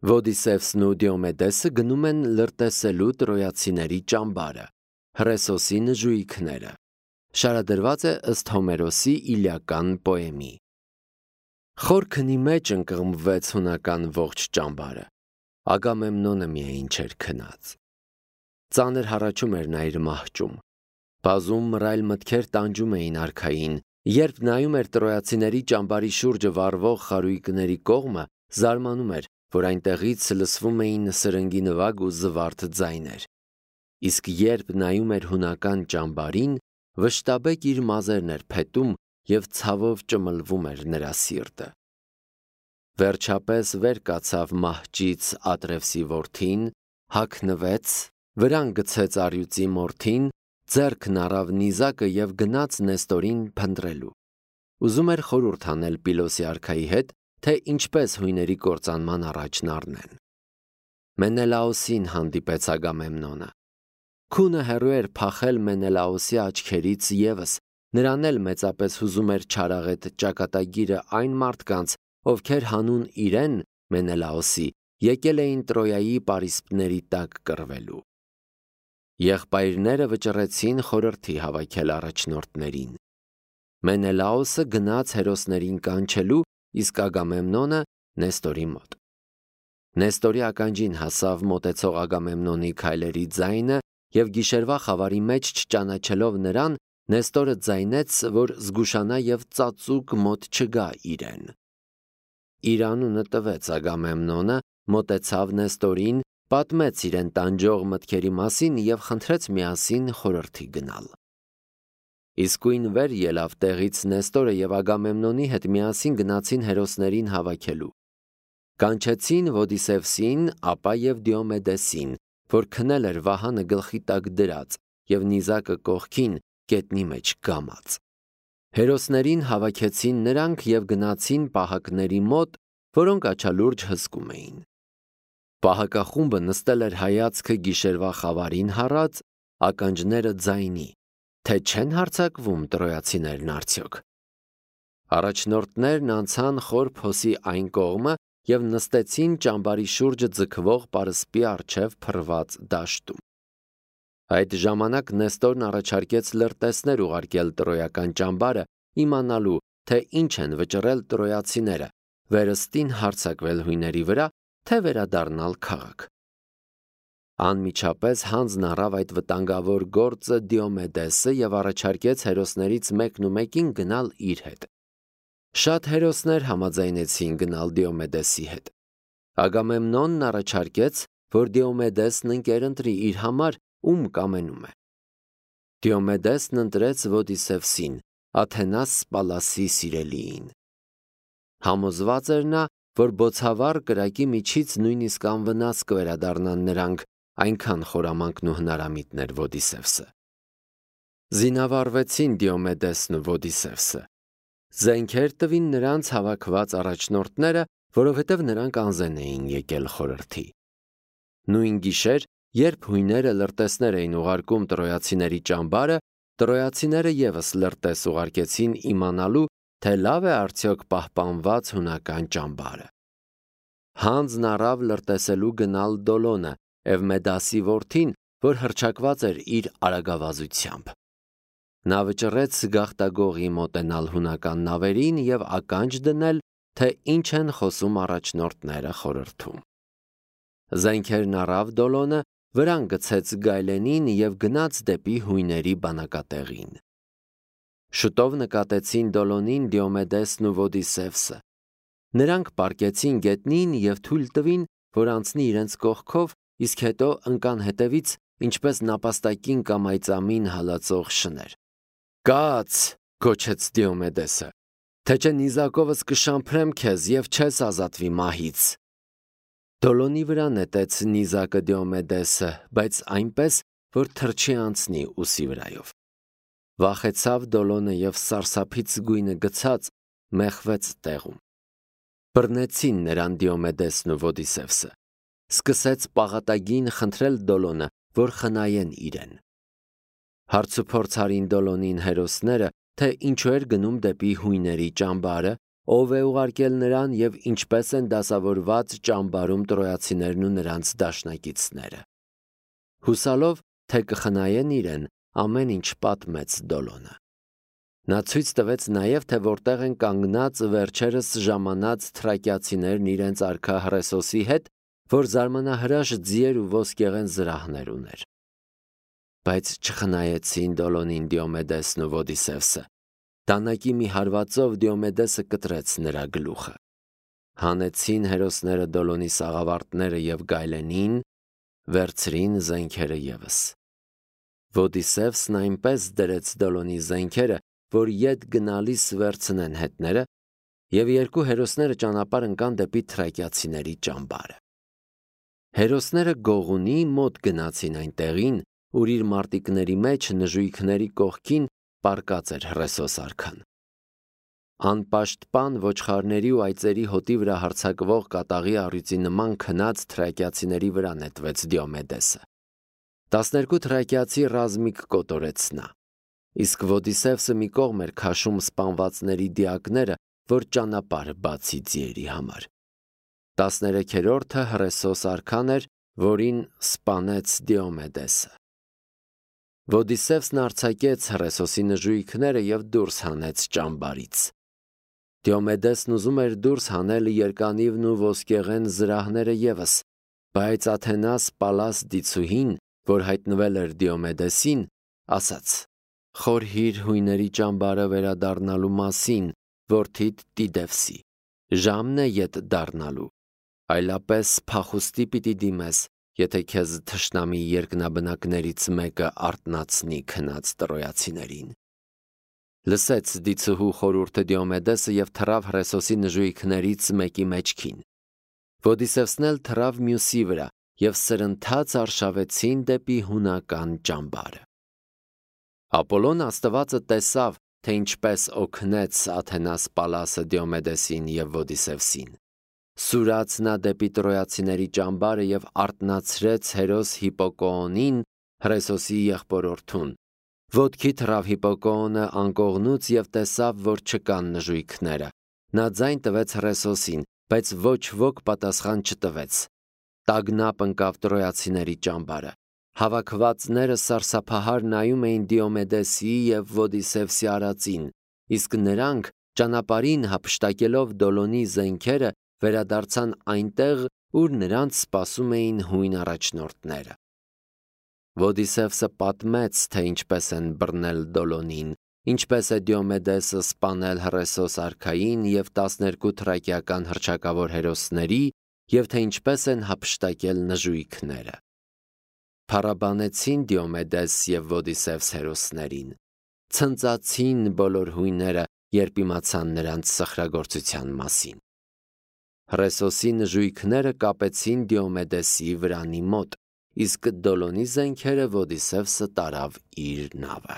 Ոդիսևսն ու Դիոմեդեսը գնում են լրտեսելու տրոյացիների ճամբարը, Հռեսոսի նժույգները։ Շարադրված է ըստ Հոմերոսի Իլիական պոեմի։ Խոր քնի մեջ ընկղմվեց հունական ողջ ճամբարը։ Ագամեմնոնը միայն չէր քնած։ Ծանր հառաչում էր նա իր մահճում։ Բազում մռայլ մտքեր տանջում էին արքային, երբ նայում էր տրոյացիների ճամբարի շուրջը վառվող խարույկների կողմը, զարմանում էր, որ այնտեղից լսվում էին սրնգի նվագ ու զվարթ ձայներ։ Իսկ երբ նայում էր հունական ճամբարին, վշտաբեկ իր մազերն էր փետում և ցավով ճմլվում էր նրա սիրտը։ Վերջապես վեր կացավ մահճից Ատրևսի որդին, հագնվեց, վրան գցեց առյուծի մորթին, ձեռքն առավ նիզակը և գնաց Նեստորին փնտրելու։ Ուզում էր խորհուրդ անել Պիլոսի արքայի հետ, թե ինչպես հույների կործանման առաջն առնեն։ Մենելաոսին հանդիպեց Ագամեմնոնը։ Քունը հեռու էր փախել Մենելաոսի աչքերից ևս, նրան էլ մեծապես հուզում էր չարաղետ ճակատագիրը այն մարդկանց, ովքեր հանուն իրեն Մենելաոսի եկել էին Տրոյայի պարիսպների տակ կռվելու։ Եղբայրները վճռեցին խորհրդի հավաքել առաջնորդներին։ Մենելաոսը գնաց հերոսներին կանչելու, իսկ Ագամեմնոնը Նեստորի մոտ։ Նեստորի ականջին հասավ մոտեցող Ագամեմնոնի քայլերի ձայնը և գիշերվա խավարի մեջ չճանաչելով նրան, Նեստորը ձայնեց, որ զգուշանա և ծածուկ մոտ չգա իրեն։ Իր անունը տվեց Ագամեմնոնը, մոտեցավ Նեստորին, պատմեց իրեն տանջող մտքերի մասին և խնդրեց միասին խորհրդի գնալ։ Իսկույն վեր ելավ տեղից Նեստորը և Ագամեմնոնի հետ միասին գնացին հերոսներին հավաքելու։ Կանչեցին Ոդիսևսին, ապա և Դիոմեդեսին, որ քնել էր վահանը գլխի տակ դրած և նիզակը կողքին գետնի մեջ կամած։ Հերոսներին հավաքեցին նրանք և գնացին պահակների մոտ, որոնք աչալուրջ հսկում էին։ Պահակախումբը նստել էր հայացքը գիշերվա խավարին հառած, ականջները ձայնի, թե չեն հարձակվում տրոյացիներն արդյոք։ Առաջնորդներն անցան խոր փոսի այն կողմը և նստեցին ճամբարի շուրջը ձգվող պարսպի առջև փռված դաշտում։ Այդ ժամանակ Նեստորն առաջարկեց լրտեսներ ուղարկել տրոյական ճամբարը, իմանալու, թե ինչ են վճռել տրոյացիները, վերստին հարձակվել հույների վրա, թե վերադառնալ քաղաք։ Անմիջապես հանձն առավ այդ վտանգավոր գործը Դիոմեդեսը և առաջարկեց հերոսներից մեկն ու մեկին գնալ իր հետ։ Շատ հերոսներ համաձայնեցին գնալ Դիոմեդեսի հետ։ Ագամեմնոնն առաջարկեց, որ Դիոմեդեսն ընկերընտրի իր համար, ում կամենում է։ Դիոմեդեսն ընտրեց Ոդիսևսին, Աթենաս Սպալասի սիրելիին։ Համոզված էր նա, որ բոցավառ կրակի միջից նույնիսկ անվնաս կվերադառնան նրանք, այնքան խորամանկն ու հնարամիտն էր Ոդիսևսը։ Զինավառվեցին Դիոմեդեսն ու Ոդիսևսը։ Զենքեր տվին նրանց հավաքված առաջնորդները, որովհետև նրանք անզեն էին եկել խորհրդի։ Նույն գիշեր, երբ հույները լրտեսներ էին ուղարկում տրոյացիների ճամբարը, տրոյացիները ևս լրտես ուղարկեցին իմանալու, թե լավ է արդյոք պահպանված հունական ճամբարը։ Հանձն առավ լրտեսելու գնալ Դոլոնը, Էվմեդասի որդին, որ հռչակված էր իր արագավազությամբ։ Նա վճռեց գաղտագողի մոտենալ հունական նավերին և ականջ դնել, թե ինչ են խոսում առաջնորդները խորհրդում։ Զենքերն առավ Դոլոնը, վրան գցեց գայլենին և գնաց դեպի հույների բանակատեղին։ Շուտով նկատեցին Դոլոնին Դիոմեդեսն ու Ոդիսևսը։ Նրանք պառկեցին գետնին և թույլ տվին, որ անցնի իրենց կողքով, իսկ հետո ընկան հետևից, ինչպես նապաստակին կամ այծամին հալածող շներ։ «Կաց», գոչեց Դիոմեդեսը, «թե չէ նիզակովս կշամփրեմ քեզ և չես ազատվի մահից»։ Դոլոնի վրա նետեց նիզակը Դիոմեդեսը, բայց այնպես, որ թռչի անցնի ուսի վրայով։ Վախեցավ Դոլոնը և սարսափից գույնը գցած մեխվեց տեղում։ Բռնեցին նրան Դիոմեդեսն ու Ոդիսևսը։ Սկսեց պաղատագին խնդրել Դոլոնը, որ խնայեն իրեն։ Հարցուփորձ արին Դոլոնին հերոսները, թե ինչու էր գնում դեպի հույների ճամբարը, ով է ուղարկել նրան եւ ինչպես են դասավորված ճամբարում տրոյացիներն ու նրանց դաշնակիցները։ Հուսալով, թե կխնայեն իրեն, ամեն ինչ պատմեց Դոլոնը։ Նա ցույց տվեց նաև, թե որտեղ են կանգնած վերջերս ժամանած թրակիացիներն իրենց արքա Հռեսոսի հետ, որ զարմանահրաշ ձիեր ու ոսկեղեն զրահներ ուներ։ Բայց չխնայեցին Դոլոնին Դիոմեդեսն ու Ոդիսևսը։ Դանակի մի հարվածով Դիոմեդեսը կտրեց նրա գլուխը։ Հանեցին հերոսները Դոլոնի սաղավարտները եւ գայլենին, վերցրին զենքերը ևս։ Ոդիսևսն այնպես դրեց Դոլոնի զենքերը, որ ետ գնալիս վերցնեն հետները, եւ երկու հերոսները ճանապարհ ընկան դեպի թրակիացիների ճամբարը։ Հերոսները Գողունի մոտ գնացին այն տեղին, ուր իր մարտիկների մեջ նժույգների կողքին պառկած էր Հռեսոս արքան։ Անպաշտպան ոչխարների ու այծերի հոտի վրա հարձակվող կատաղի առյուծի նման քնած թրակիացիների վրա նետվեց Դիոմեդեսը։ 12 թրակիացի ռազմիկ կոտորեց նա։ Իսկ Ոդիսևսը մի կողմ էր քաշում սպանվածների դիակները, որ ճանապարհ բացի ձիերի համար։ 13-րդը Հռեսոս արքան էր, որին սպանեց Դիոմեդեսը։ Ոդիսևսն արձակեց Հռեսոսի նժույգները եւ դուրս հանեց ճամբարից։ Դիոմեդեսն ուզում էր դուրս հանել երկանիվն ու ոսկեղեն զրահները ևս, բայց Աթենաս Պալաս դիցուհին, որ հայտնվել էր Դիոմեդեսին, ասաց. «Խորհիր հույների ճամբարը վերադառնալու մասին, որդիդ Տիդևսի, ժամն է ետ դառնալու, այլապես փախուստի պիտի դիմես, եթե քեզ թշնամի երկնաբնակներից մեկը արթնացնի քնած տրոյացիներին»։ Լսեց դիցուհու խորհուրդը Դիոմեդեսը եւ թռավ Հռեսոսի նժույգներից մեկի մեջքին։ Ոդիսևսն էլ թռավ մյուսի վրա եւ սրընթաց արշավեցին դեպի հունական ճամբարը։ Ապոլոն աստվածը տեսավ, թե ինչպես օգնեց Աթենաս Պալասը Դիոմեդեսին եւ Ոդիսևսին։ Սուրաց նա դեպի տրոյացիների ճամբարը եւ արթնացրեց հերոս Հիպոկոոնին, Հռեսոսի եղբորորդուն։ Ոտքի թռավ Հիպոկոոնը անկողնուց եւ տեսավ, որ չկան նժույգները։ Նա ձայն տվեց Հռեսոսին, բայց ոչ ոք պատասխան չտվեց։ Տագնապ ընկավ տրոյացիների ճամբարը։ Հավաքվածները սարսափահար նայում էին Դիոմեդեսի եւ Ոդիսևսի արածին, իսկ նրանք ճանապարհին հափշտակելով Դոլոնի զենքերը վերադարձան այնտեղ, ուր նրանց սպասում էին հույն առաջնորդները։ Ոդիսևսը պատմեց, թե ինչպես են բռնել Դոլոնին, ինչպես է Դիոմեդեսը սպանել Հռեսոս արքային եւ 12 թրակիական հռչակավոր հերոսների, եւ թե ինչպես են հափշտակել նժույգները։ Փառաբանեցին Դիոմեդես եւ Ոդիսևս հերոսներին։ Ցնծացին բոլոր հույները, երբ իմացան նրանց սխրագործության մասին։ Հռեսոսի նժույգները կապեցին Դիոմեդեսի վրանի մոտ, իսկ Դոլոնի զենքերը Ոդիսևսը տարավ իր նավը։